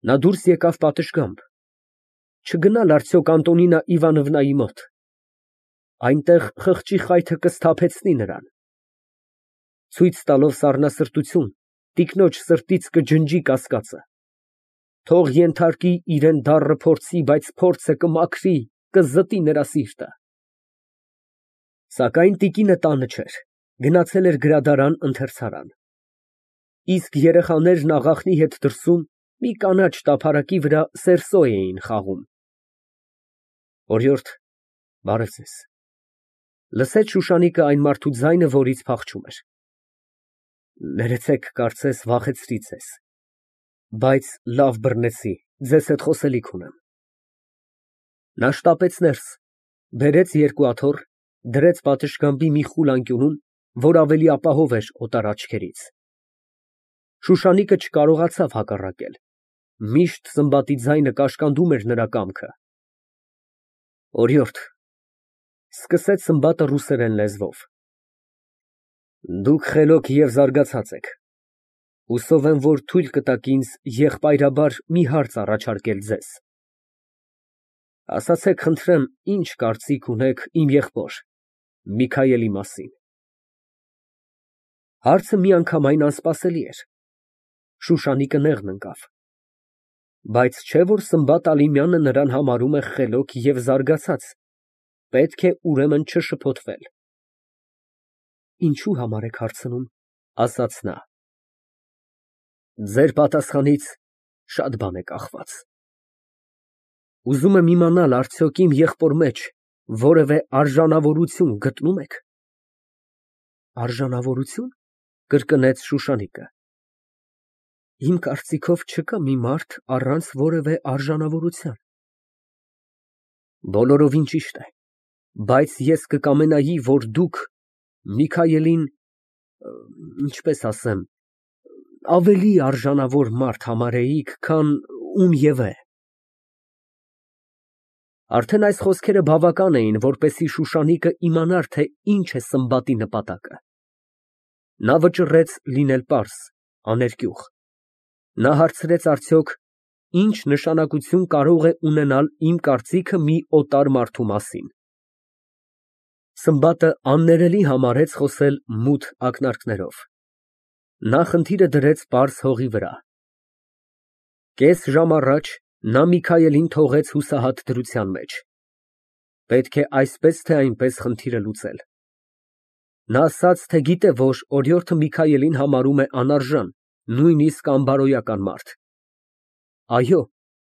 Նա դուրս եկավ պատշգամբ։ Չգնալ արդյոք Անտոնինա Իվանովնայի մոտ, այնտեղ խղճի խայթը կսթափեցնի նրան։ Ցույց տալով սառնասրտություն, տիկնոջ սրտից կջնջի կասկածը, թող ենթարկի իրան դառը փորձի, բայց փորձը կմաքրի, կզտի նրա սիրտը։ Սակայն տիկինը տանը չէր, գնացել էր գրադարան, ընթերցարան, իսկ երեխաներն աղախնի հետ դրսում մի կանաչ տափարակի վրա սերսո էին խաղում։ Օրիորդ, բարև ձեզ։ Լսեց Շուշանիկը այն մարդու ձայնը, որից փախչում էր։ Ներեցեք, կարծես վախեցրի ձեզ, բայց լավ բռնեցի, ձեզ հետ խոսելիք ունեմ։ Նա շտապեց ներս, բերեց երկու աթոռ, դրեց պատշգամբի մի խուլ անկյունում, որ ավելի ապահով էր օտար աչքերից։ Շուշանիկը չկարողացավ հակառակել, միշտ Սմբատի ձայնը կաշկանդում էր նրա կամքը։ Օրիորդ, սկսեց Սմբատը ռուսերեն լեզվով, դուք խելոք և զարգացած եք, հուսով եմ, որ թույլ կտաք ինձ եղբայրաբար մի հարց առաջարկել ձեզ։ Ասացեք, խնդրեմ, ինչ կարծիք ունեք իմ եղբոր Միքայելի մասին։ Հարցը միանգամայն անսպասելի էր։ Շուշանիկը նեղն ընկավ, բայց չէ՞ որ Սմբատ Ալիմյանը նրան համարում է խելոք և զարգացած, պետք է ուրեմն չշփոթվել։ Ինչու համար եք հարցնում, ասաց նա։ Ձեր պատասխանից շատ բան է կախված։ Ուզում եմ իմանալ, արդյոք իմ եղբոր մեջ որևէ արժանավորություն գտնում եք։ Արժանավորություն, կրկնեց Շուշանիկը։ Իմ կարծիքով չկա մի մարդ առանց որևէ արժանավորության։ Բոլորովին ճիշտ է, բայց ես կկամենայի, որ դուք Միքայելին, ինչպես ասեմ, ավելի արժանավոր մարդ համարեիք, քան ում և է։ Արդեն այս խոսքերը բավական էին, որպեսզի Շուշանիկը իմանար, թե ինչ է Սմբատի նպատակը։ Նա վճռեց լինել պարզ, աներկյուղ։ Նա հարցրեց, արդյոք ինչ նշանակություն կարող է ունենալ իմ կարծիքը մի օտար մարդու մասին։ Սմբատը աններելի համարեց խոսել մութ ակնարկներով։ Նա խնդիրը դրեց պարզ հողի վրա։ Կես ժամ առաջ նա Միքայելին թողեց հուսահատ դրության մեջ։ Պետք է այսպես թե այնպես խնդիրը լուծել։ Նա ասաց, թե գիտե, որ օրիորդը Միքայելին համարում է անարժան, նույնիսկ անբարոյական մարդ։ Այո,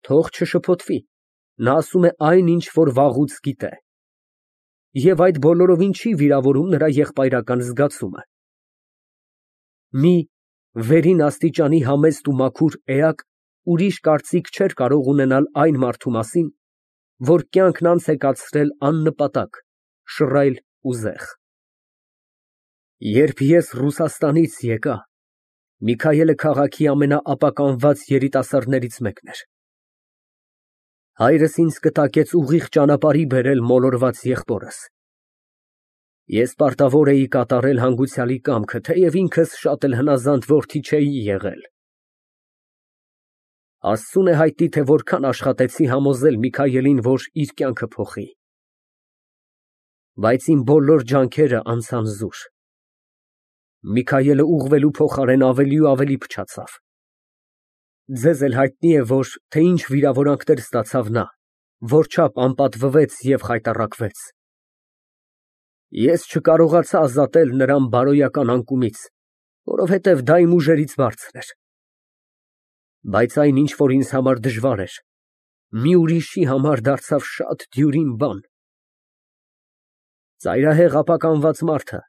թող չշփոթվի, նա ասում է այն, ինչ որ վաղուց գիտե։ Եվ այդ բոլորովին չի վիրավորում նրա եղբայրական զգացումը։ Մի վերին աստիճանի համեստ ու մաքուր էակ ուրիշ կարծիք չէր կարող ունենալ այն մարդու մասին, որ կյանքն անց է կացրել աննպատակ, շռայլ ու զեղ։ Երբ ես Ռուսաստանից եկա, Միքայելը քաղաքի ամենաապականված երիտասարդներից մեկն էր։ Հայրս ինձ կտակեց ուղիղ ճանապարհի բերել մոլորված եղբորս։ Ես պարտավոր էի կատարել հանգուցյալի կամքը, թեև ինքս շատ էլ հնազանդ որդի չէի եղել։ Աստծուն է հայտնի, թե որքան աշխատեցի համոզել Միքայելին, որ իր կյանքը փոխի։ Բայց իմ բոլոր ջանքերը անցան զուր։ Միքայելը ուղղվելու փոխարեն ավելի ու ավելի փչացավ։ Ձեզ էլ հայտնի է, թե ինչ վիրավորանքներ ստացավ նա, որչափ անպատվվեց և խայտառակվեց։ Ես չկարողացա ազատել նրան բարոյական անկումից, որովհետև դա իմ ուժերից բարձր էր։ Բայց այն, ինչ որ ինձ համար դժվար էր, մի ուրիշի համար դարձավ շատ դյուրին բան։ Ծայրահեղ ապականված մարդը,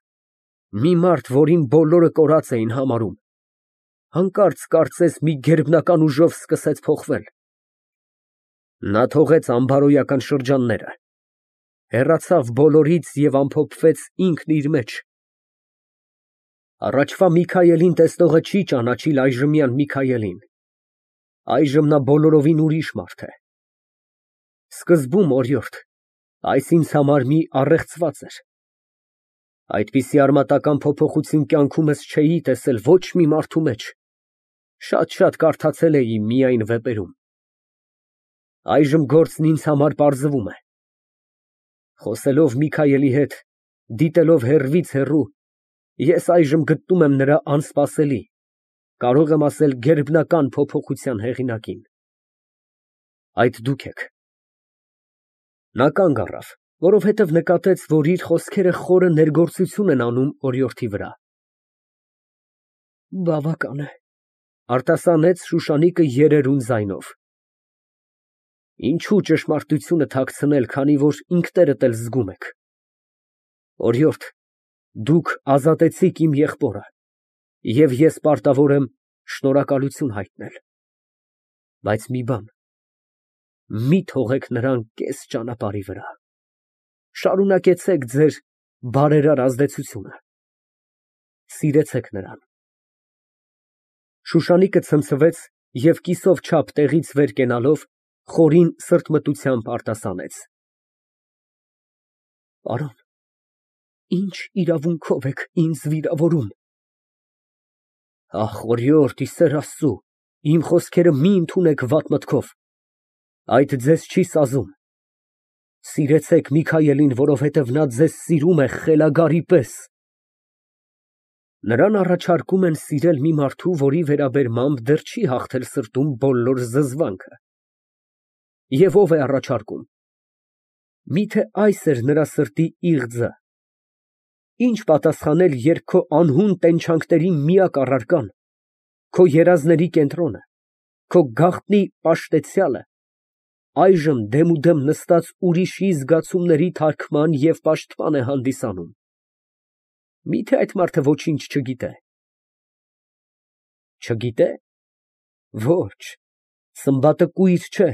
մի մարդ, որին բոլորը կորած էին համարում, հանկարծ կարծես մի գերբնական ուժով սկսեց փոխվել։ Նա թողեց անբարոյական շրջանները, հեռացավ բոլորից և ամփոփվեց ինքն իր մեջ։ Առաջվա Միքայելին տեսնողը չի ճանաչիլ այժմյան Միքայելին։ Այժմ նա բոլորովին ուրիշ մարդ է։ Սկզբում, օրիորդ, այս ինձ համար մի առեղծված էր։ Այդպիսի արմատական փոփոխություն կյանքումս չէի տեսել ոչ մի մարդու մեջ։ Շատ կարդացել էի միայն վեպերում։ Այժմ գործն ինձ համար պարզվում է։ Խոսելով Միքայելի հետ, դիտելով հեռվից հեռու, ես այժմ գտնում եմ նրա անսպասելի, կարող եմ ասել գերբնական փոփոխության հեղինակին։ Այդ դուք եք։ Նա կանգ առավ, որովհետև նկատեց, որ իր խոսքերը խորը ներգործություն են անում օրիորդի վրա։ Բավական է, արտասանեց Շուշանիկը երերուն ձայնով։ Ինչու ճշմարտությունը թաքցնել, քանի որ ինքներդ էլ զգում եք։ Օրիորդ, դուք ազատեցիք իմ եղբորը, և ես պարտավոր եմ շնորհակալություն հայտնել։ Բայց մի բան, մի թողեք նրան կես ճանապարհի վրա։ Շարունակեցեք ձեր բարերար ազդեցությունը։ Սիրեցեք նրան։ Շուշանիկը ցնցվեց և կիսով չափ տեղից վեր կենալով խորին սրտմտությամբ արտասանեց. Պարոն, ինչ իրավունքով եք ինձ վիրավորում։ Ախ, օրիորդ, ի սեր Աստծու, իմ խոսքերը մի ընդունեք վատ մտքով, այդ ձեզ չի սազում։ Սիրեցեք Միքայելին, որովհետև նա ձեզ սիրում է խելագարի պես։ Նրան առաջարկում են սիրել մի մարդու, որի վերաբերմամբ դեռ չի հաղթել սրտում բոլոր զզվանքը։ Եվ ով է առաջարկում։ Միթե այս էր նրա սրտի իղձը։ Ինչ պատասխանել, երբ քո անհուն տենչանքների միակ առարկան, քո երազների կենտրոնը, քո գաղտնի պաշտեցյալը, այժմ դեմուդեմ նստած ուրիշի զգացումների թարգման և պաշտպան է հանդիսանում։ Միթե այդ մարդը ոչինչ չգիտե։ Չգիտե։ Ոչ, սմբատը կույր չէ։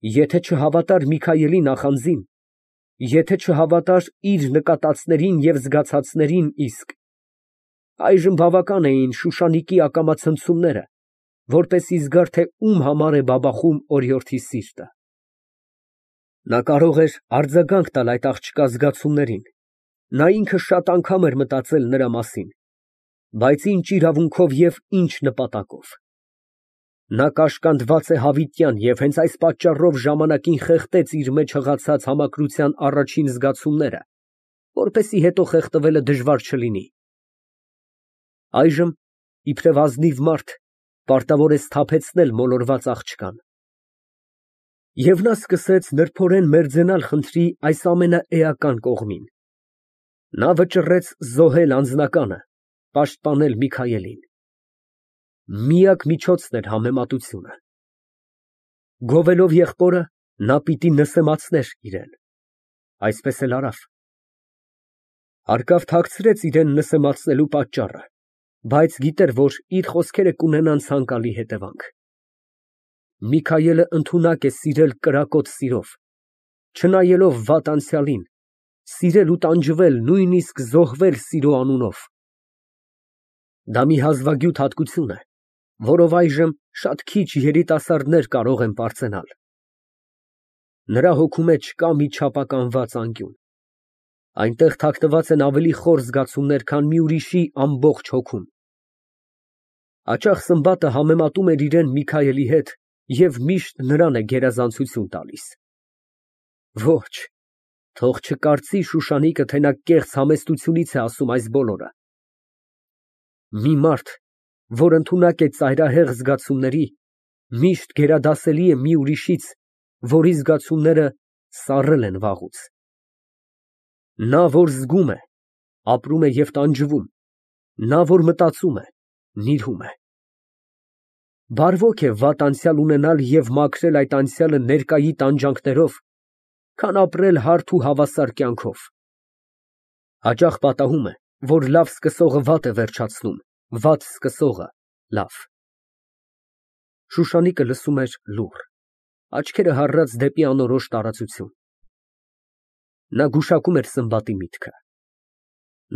Եթե չհավատար Միքայելի նախանձին, եթե չհավատար իր նկատածներին և զգացածներին իսկ, այժմ բավական էին Շուշանիկի ակամացնցումները, որպեսզի զգար, թե ում համար է բաբախում օրիորդի սիրտը։ Նա կարող էր արձագանք տալ այդ աղջկա զգացումներին, նա ինքը շատ անգամ էր մտածել նրա մասին, բայց ինչ իրավունքով և ինչ նպատակով։ Նա կաշկանդված է հավիտյան և հենց այս պատճառով ժամանակին խեղդեց իր մեջ հղացած համակրության առաջին զգացումները, որպեսզի հետո խեղդվելը դժվար չլինի։ Այժմ, իբրև ազնիվ մարդ, պարտավոր է սթափեցնել մոլորված աղջկան։ Եվ նա սկսեց նրբորեն մերձենալ խնդրի այս ամենաէական կողմին։ Նա վճռեց զոհել անձնականը, պաշտպանել Միքայելին։ Միակ միջոցն էր համեմատությունը։ Գովելով եղբորը, նա պիտի նսեմացներ իրան։ Այսպես էլ արավ։ Հարկավ թաքցրեց իրան նսեմացնելու պատճառը, բայց գիտեր, որ իր խոսքերը կունենան ցանկալի հետևանք։ Միքայելը ընդունակ է սիրել կրակոտ սիրով, չնայելով վատ անցյալին, սիրել ու տանջվել, նույնիսկ զոհվել սիրո անունով։ Դա մի հազվագյուտ հատկություն է, որով այժմ շատ քիչ երիտասարդներ կարող են պարծենալ։ Նրա հոգու մեջ կա մի չափականված անկյուն։ Այնտեղ թաքնված են ավելի խոր զգացումներ, քան մի ուրիշի ամբողջ հոգում։ Հաճախ Սմբատը համեմատում էր իրան Միքայելի հետ և միշտ նրան է գերազանցություն տալիս։ Ոչ, թող չկարծի Շուշանիկը, թե նա կեղծ համեստությունից է ասում այս բոլորը։ Մի մարդ, որ ընդունակ է ծայրահեղ զգացումների, միշտ գերադասելի է մի ուրիշից, որի զգացումները սառել են վաղուց։ Նա, որ զգում է, ապրում է և տանջվում, նա, որ մտածում է, նիրհում է։ Բարվոք է վատ անցյալ ունենալ և մաքրել այդ անցյալը ներկայի տանջանքներով, քան ապրել հարթ ու հավասար կյանքով։ Հաճախ պատահում է, որ լավ սկսողը վատ է վերջացնում, վատ սկսողը՝ լավ։ Շուշանիկը լսում էր լուռ, աչքերը հառած դեպի անորոշ տարածություն։ Նա գուշակում էր Սմբատի միտքը։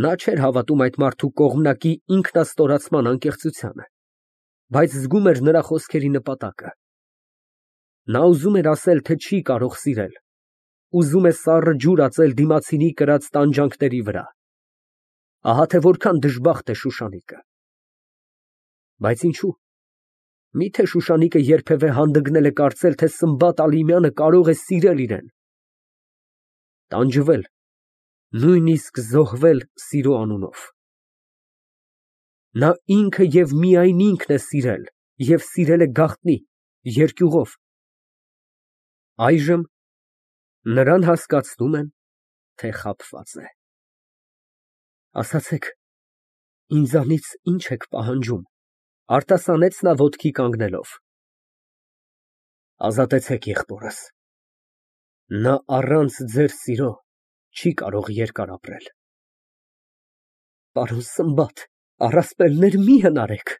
Նա չէր հավատում այդ մարդու կողմնակի ինքնաստորացման անկեղծությանը, բայց զգում էր նրա խոսքերի նպատակը։ Նա ուզում էր ասել, թե չի կարող սիրել, ուզում է սառը ջուր ածել դիմացինի կրած տանջանքների վրա։ Ահա թե որքան դժբախտ է Շուշանիկը։ Բայց ինչու։ Միթե Շուշանիկը երբևէ հանդգնել է կարծել, թե Սմբատ Ալիմյանը կարող է սիրել իրան, տանջվել, նույնիսկ զոհվել սիրո անունով։ Նա ինքը և միայն ինքն է սիրել և սիրել է գաղտնի, երկյուղով։ Այժմ նրան հասկացնում են, թե խաբված է։ Ասացեք, ինձանից ի՞նչ եք պահանջում, արտասանեց նա ոտքի կանգնելով։ Ազատեցեք եղբորս, նա առանց ձեր սիրո չի կարող երկար ապրել։ Պարոն Սմբատ, առասպելներ մի հնարեք,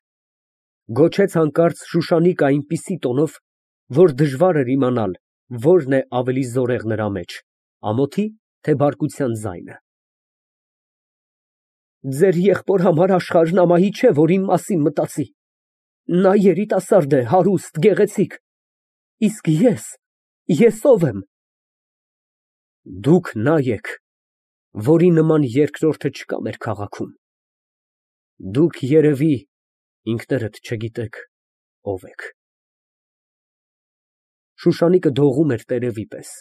գոչեց հանկարծ Շուշանիկը այնպիսի տոնով, որ դժվար էր իմանալ, որն է ավելի զորեղ նրա մեջ, ամոթի, թե բարկության ձայնը։ Ձեր եղբոր համար աշխարհն ամահի չէ, որ իմ մասին մտածի։ Նա երիտասարդ է, հարուստ, գեղեցիկ, իսկ ես ո՞վ եմ։ Դուք նա եք, որի նման երկրորդը չկա մեր քաղաքում։ Դուք երևի ինքներդ չգիտեք ով եք։ Շուշանիկը դողում էր տերևի պես։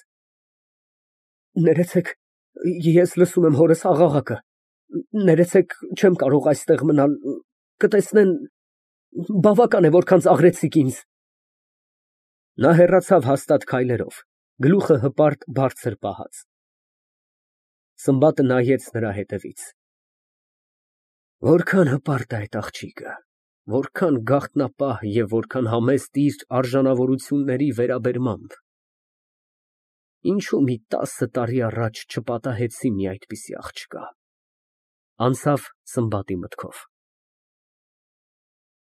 Ներեցեք, ես լսում եմ հորս աղաղակը։ Ներեցեք, չեմ կարող այստեղ մնալ, կտեսնեն, բավական է, որքան ծաղրեցիք ինձ։ Նա հեռացավ հաստատ քայլերով, գլուխը հպարտ բարձր պահած։ Սմբատը նայեց նրա հետևից։ Որքան հպարտ է այդ աղջիկը, որքան գաղտնապահ և որքան համեստ իր արժանավորությունների վերաբերմամբ։ Ինչու մի 10 տարի առաջ չպատահեցի մի այդպիսի աղջկա, անցավ Սմբատի մտքով։